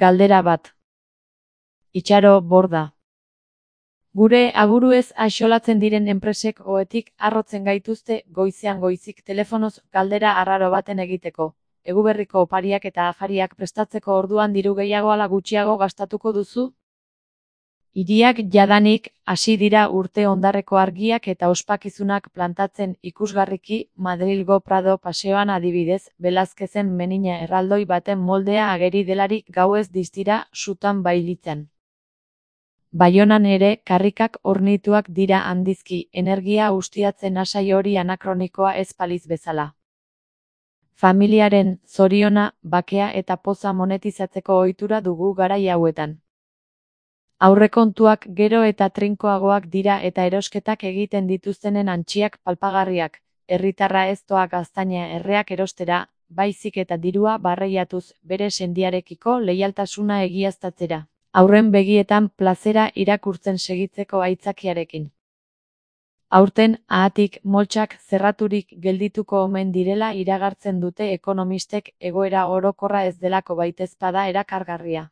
Galdera bat. Itxaro Borda. Gure aburuez axolatzen diren enpresek ohetik harrotzen gaituzte goizean goizik telefonoz galdera arraro baten egiteko. Eguberriko opariak eta afariak prestatzeko orduan diru gehiago ala gutxiago gastatuko duzu? Hiriak jadanik hasi dira urte ondarreko argiak eta ospakizunak plantatzen ikusgarriki Madrilgo Prado paseoan adibidez, Velázquezen menina erraldoi baten moldea ageri delarik gauez distira sutan bailitzen. Baionan ere karrikak hornituak dira handizki, energia ustiatzen asai hori anakronikoa ez paliz bezala. Familiaren zoriona, bakea eta poza monetizatzeko ohitura dugu garai hauetan. Aurrekontuak gero eta trinkoagoak dira eta erosketak egiten dituztenen antxiak palpagarriak, herritarra ez doa gaztaina erreak erostera, baizik eta dirua barreiatuz bere sendiarekiko leialtasuna egiaztatzera. Aurren begietan plazera irakurtzen segitzeko aitzakiarekin. Aurten, ahatik, moltsak zerraturik geldituko omen direla iragartzen dute ekonomistek egoera orokorra ez delako baitezpada erakargarria.